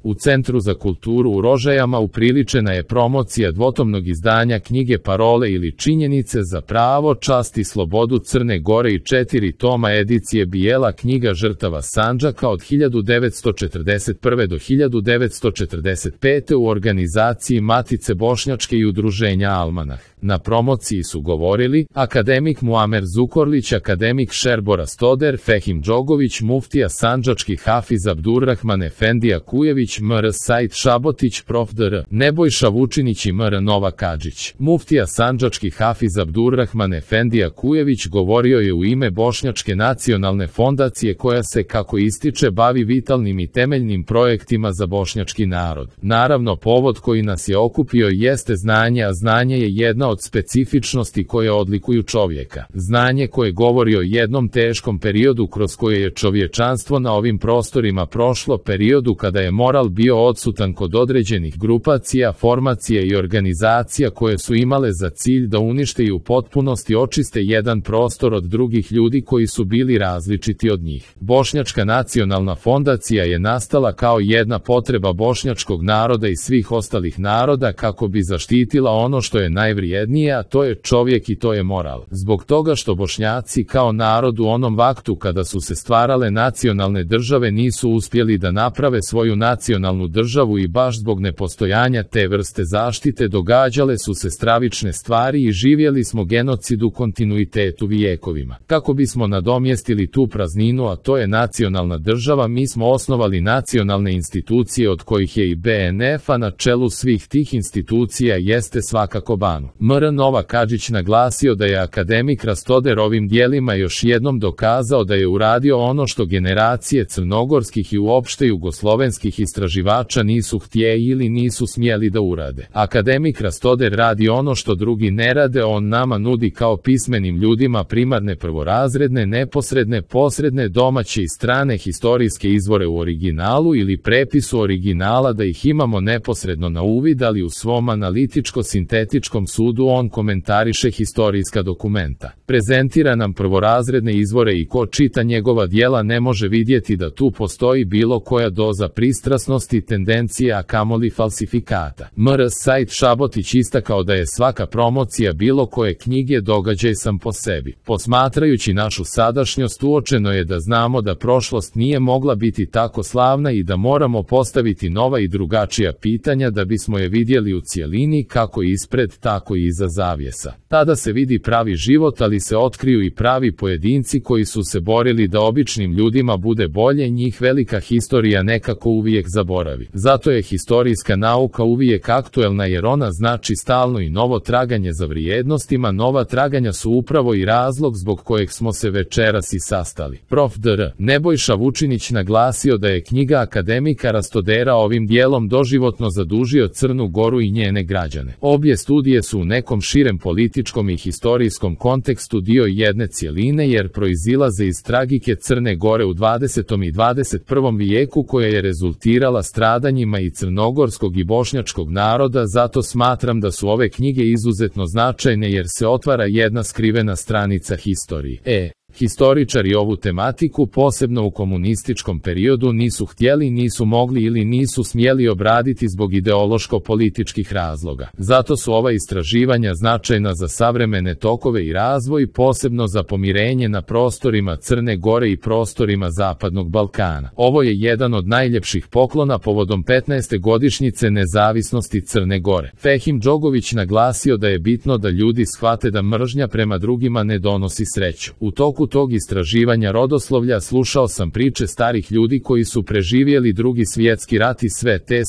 U Centru za kulturu u Rožajama upriličena je promocija dvotomnog izdanja knjige Parole ili činjenice za pravo, čast i slobodu Crne Gore i 4 toma edicije Bijela knjiga žrtava Sandžaka od 1941. do 1945. u organizaciji Matice Bošnjačke i udruženja Almanah. Na promociji su govorili akademik Muamer Zukorlić, akademik Šerbora Stoder, Fehim Džogović, muftija sandžački Hafiz Abdurrahman Efendija Kujević, Mr. Said Šabotić, prof. dr. Nebojša Vučinić i Mr. Nova Kadžić. Muftija sandžački Hafiz Abdurrahman Efendija Kujević govorio je u ime Bošnjačke nacionalne fondacije koja se, kako ističe, bavi vitalnim i temeljnim projektima za bošnjački narod. Naravno, povod koji nas je okupio jeste znanje, a znanje je jedna od specifičnosti koje odlikuju čovjeka. Znanje koje govori o jednom teškom periodu kroz koje je čovječanstvo na ovim prostorima prošlo, periodu kada je moral bio odsutan kod određenih grupacija, formacija i organizacija koje su imale za cilj da unište i u potpunosti očiste jedan prostor od drugih ljudi koji su bili različiti od njih. Bošnjačka nacionalna fondacija je nastala kao jedna potreba bošnjačkog naroda i svih ostalih naroda kako bi zaštitila ono što je najvrijednije, a to je čovjek i to je moral. Zbog toga što Bošnjaci kao narod u onom vaktu kada su se stvarale nacionalne države nisu uspjeli da naprave svoju nacionalnu državu i baš zbog nepostojanja te vrste zaštite događale su se stravične stvari i živjeli smo genocid u kontinuitetu vijekovima. Kako bismo nadomjestili tu prazninu, a to je nacionalna država, mi smo osnovali nacionalne institucije od kojih je i BNF, a na čelu svih tih institucija jeste svakako Banu. Mr. Nova Kadžić naglasio da je akademik Rastoder ovim dijelima još jednom dokazao da je uradio ono što generacije crnogorskih i uopšte jugoslovenskih istraživača nisu htjeli ili nisu smjeli da urade. Akademik Rastoder radi ono što drugi ne rade, on nama nudi kao pismenim ljudima primarne, prvorazredne, neposredne, posredne, domaće i strane historijske izvore u originalu ili prepisu originala da ih imamo neposredno na uvid, ali u svom analitičko-sintetičkom sudu on komentariše historijska dokumenta. Prezentira nam prvorazredne izvore i ko čita njegova djela ne može vidjeti da tu postoji bilo koja doza pristrasnosti, tendencija, a kamoli falsifikata. Mr. Said Šabotić istakao da je svaka promocija bilo koje knjige događaj sam po sebi. Posmatrajući našu sadašnjost uočeno je da znamo da prošlost nije mogla biti tako slavna i da moramo postaviti nova i drugačija pitanja da bismo je vidjeli u cjelini, kako ispred tako i iza zavjesa. Tada se vidi pravi život, ali se otkriju i pravi pojedinci koji su se borili da običnim ljudima bude bolje, njih velika historija nekako uvijek zaboravi. Zato je historijska nauka uvijek aktuelna jer ona znači stalno i novo traganje za vrijednostima, nova traganja su upravo i razlog zbog kojeg smo se večeras i sastali. Prof. dr. Nebojša Vučinić naglasio da je knjiga akademika Rastodera ovim dijelom doživotno zadužio Crnu Goru i njene građane. Obje studije su u nekom širem političkom i historijskom kontekstu dio jedne cjeline jer proizilaze iz tragike Crne Gore u 20. i 21. vijeku koja je rezultirala stradanjima i crnogorskog i bošnjačkog naroda, zato smatram da su ove knjige izuzetno značajne jer se otvara jedna skrivena stranica historije. Historičari ovu tematiku, posebno u komunističkom periodu, nisu htjeli, nisu mogli ili nisu smjeli obraditi zbog ideološko-političkih razloga. Zato su ova istraživanja značajna za savremene tokove i razvoj, posebno za pomirenje na prostorima Crne Gore i prostorima Zapadnog Balkana. Ovo je jedan od najljepših poklona povodom 15. godišnjice nezavisnosti Crne Gore. Fehim Džogović naglasio da je bitno da ljudi shvate da mržnja prema drugima ne donosi sreću. U toku tog istraživanja rodoslovlja slušao sam priče starih ljudi koji su preživjeli Drugi svjetski rat i sve te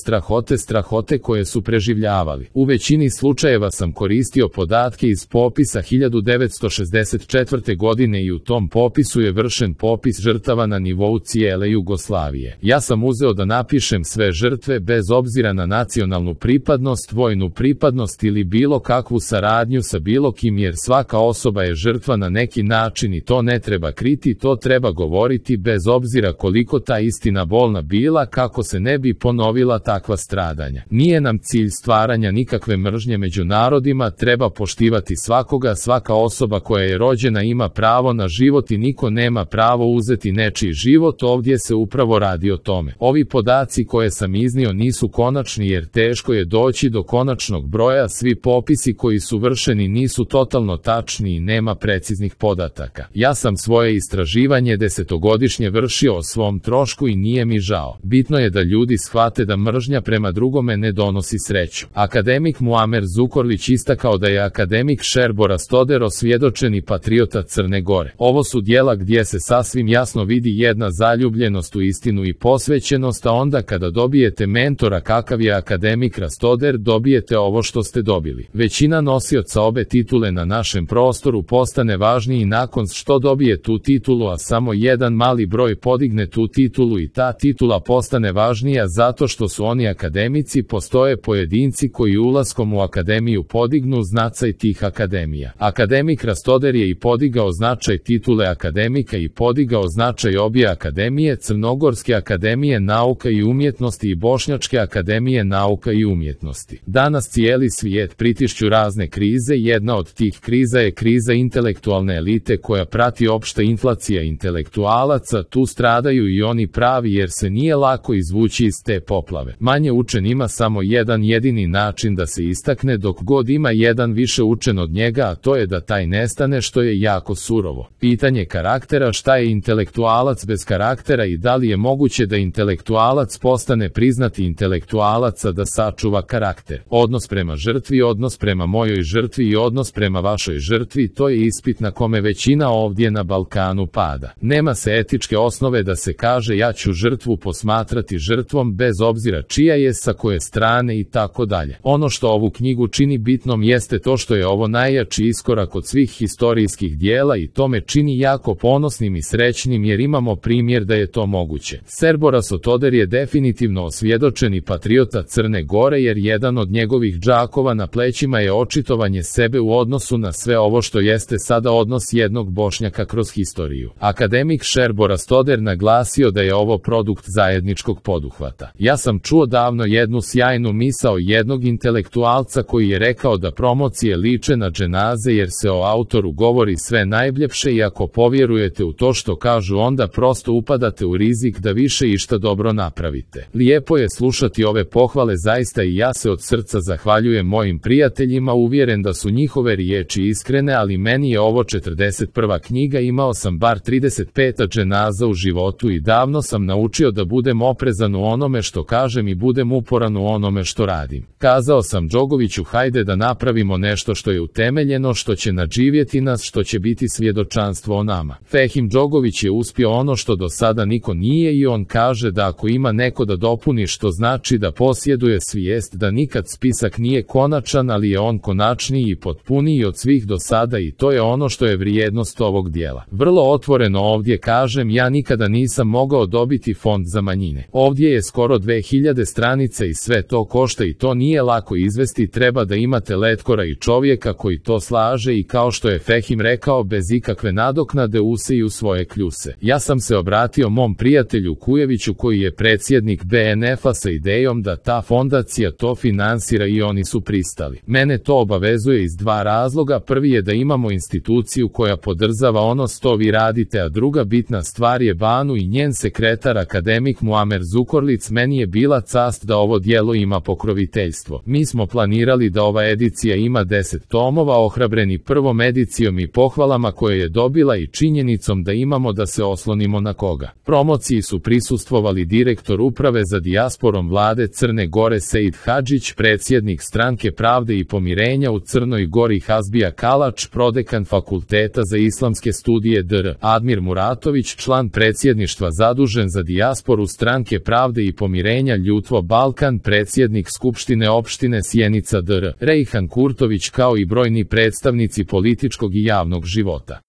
strahote koje su preživljavali. U većini slučajeva sam koristio podatke iz popisa 1964. godine i u tom popisu je vršen popis žrtava na nivou cijele Jugoslavije. Ja sam uzeo da napišem sve žrtve bez obzira na nacionalnu pripadnost, vojnu pripadnost ili bilo kakvu saradnju sa bilo kim jer svaka osoba je žrtva na neki način i to to ne treba kriti, to treba govoriti bez obzira koliko ta istina bolna bila, kako se ne bi ponovila takva stradanja. Nije nam cilj stvaranja nikakve mržnje među narodima, treba poštivati svakoga, svaka osoba koja je rođena ima pravo na život i niko nema pravo uzeti nečiji život, ovdje se upravo radi o tome. Ovi podaci koje sam iznio nisu konačni jer teško je doći do konačnog broja, svi popisi koji su vršeni nisu totalno tačni i nema preciznih podataka. Ja sam svoje istraživanje 10-godišnje vršio o svom trošku i nije mi žao. Bitno je da ljudi shvate da mržnja prema drugome ne donosi sreću. Akademik Muamer Zukorlić istakao da je akademik Šerbo Rastoder osvjedočeni patriota Crne Gore. Ovo su djela gdje se sasvim jasno vidi jedna zaljubljenost u istinu i posvećenost, a onda kada dobijete mentora kakav je akademik Rastoder, dobijete ovo što ste dobili. Većina nosioca obe titule na našem prostoru postane važniji nakon što dobije tu titulu, a samo jedan mali broj podigne tu titulu i ta titula postane važnija zato što su oni akademici. Postoje pojedinci koji ulaskom u akademiju podignu značaj tih akademija. Akademik Rastoder je i podigao značaj titule akademika i podigao značaj obje akademije, Crnogorske akademije nauka i umjetnosti i Bošnjačke akademije nauka i umjetnosti. Danas cijeli svijet pritišću razne krize, jedna od tih kriza je kriza intelektualne elite koja prati opšta inflacija intelektualaca, tu stradaju i oni pravi jer se nije lako izvući iz te poplave. Manje učen ima samo jedan jedini način da se istakne, dok god ima jedan više učen od njega, a to je da taj nestane, što je jako surovo. Pitanje karaktera, šta je intelektualac bez karaktera i da li je moguće da intelektualac postane priznati intelektualaca da sačuva karakter. Odnos prema žrtvi, odnos prema mojoj žrtvi i odnos prema vašoj žrtvi, to je ispit na kome većina ovdje na Balkanu pada. Nema se etičke osnove da se kaže ja ću žrtvu posmatrati žrtvom bez obzira čija je, sa koje strane i tako dalje. Ono što ovu knjigu čini bitnom jeste to što je ovo najjači iskorak od svih historijskih dijela i to me čini jako ponosnim i srećnim jer imamo primjer da je to moguće. Šerbo Rastoder je definitivno osvjedočeni patriota Crne Gore jer jedan od njegovih džakova na plećima je očitovanje sebe u odnosu na sve ovo što jeste sada odnos jednog Bošnjaka kroz historiju. Akademik Šerbo Rastoder naglasio da je ovo produkt zajedničkog poduhvata. Ja sam čuo davno jednu sjajnu misao jednog intelektualca koji je rekao da promocije liče na dženaze jer se o autoru govori sve najljepše i ako povjerujete u to što kažu onda prosto upadate u rizik da više išta dobro napravite. Lijepo je slušati ove pohvale zaista i ja se od srca zahvaljujem mojim prijateljima, uvjeren da su njihove riječi iskrene, ali meni je ovo 41. knjiga, imao sam bar 35 dženaza u životu i davno sam naučio da budem oprezan u onome što kažem i budem uporan u onome što radim. Kazao sam Džogoviću hajde da napravimo nešto što je utemeljeno, što će nadživjeti nas, što će biti svjedočanstvo o nama. Fehim Džogović je uspio ono što do sada niko nije i on kaže da ako ima neko da dopuni, što znači da posjeduje svijest da nikad spisak nije konačan, ali je on konačniji i potpuniji od svih do sada i to je ono što je vrijednost ovog dijela. Vrlo otvoreno ovdje kažem, ja nikada nisam mogao dobiti fond za manjine. Ovdje je skoro 2000 stranica i sve to košta i to nije lako izvesti, treba da imate letkora i čovjeka koji to slaže i kao što je Fehim rekao, bez ikakve nadoknade useju svoje kljuse. Ja sam se obratio mom prijatelju Kujeviću koji je predsjednik BNF-a sa idejom da ta fondacija to finansira i oni su pristali. Mene to obavezuje iz dva razloga, prvi je da imamo instituciju koja podržava ono što vi radite, a druga bitna stvar je Banu i njen sekretar akademik Muamer Zukorlić. Meni je bila čast da ovo djelo ima pokroviteljstvo. Mi smo planirali da ova edicija ima 10 tomova, ohrabreni prvom edicijom i pohvalama koje je dobila i činjenicom da imamo da se oslonimo na koga. Promociji su prisustvovali direktor uprave za dijasporom vlade Crne Gore Seid Hadžić, predsjednik Stranke pravde i pomirenja u Crnoj Gori Hazbija Kalač, prodekan Fakulteta za islamske studije dr. Admir Muratović, član predsjedništva zadužen za dijasporu Stranke pravde i pomirenja Ljutvo Balkan, predsjednik Skupštine opštine Sjenica dr. Rejhan Kurtović, kao i brojni predstavnici političkog i javnog života.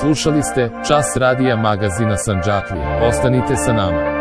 Slušali ste Čas radija magazina Sandžaklija. Ostanite sa nama.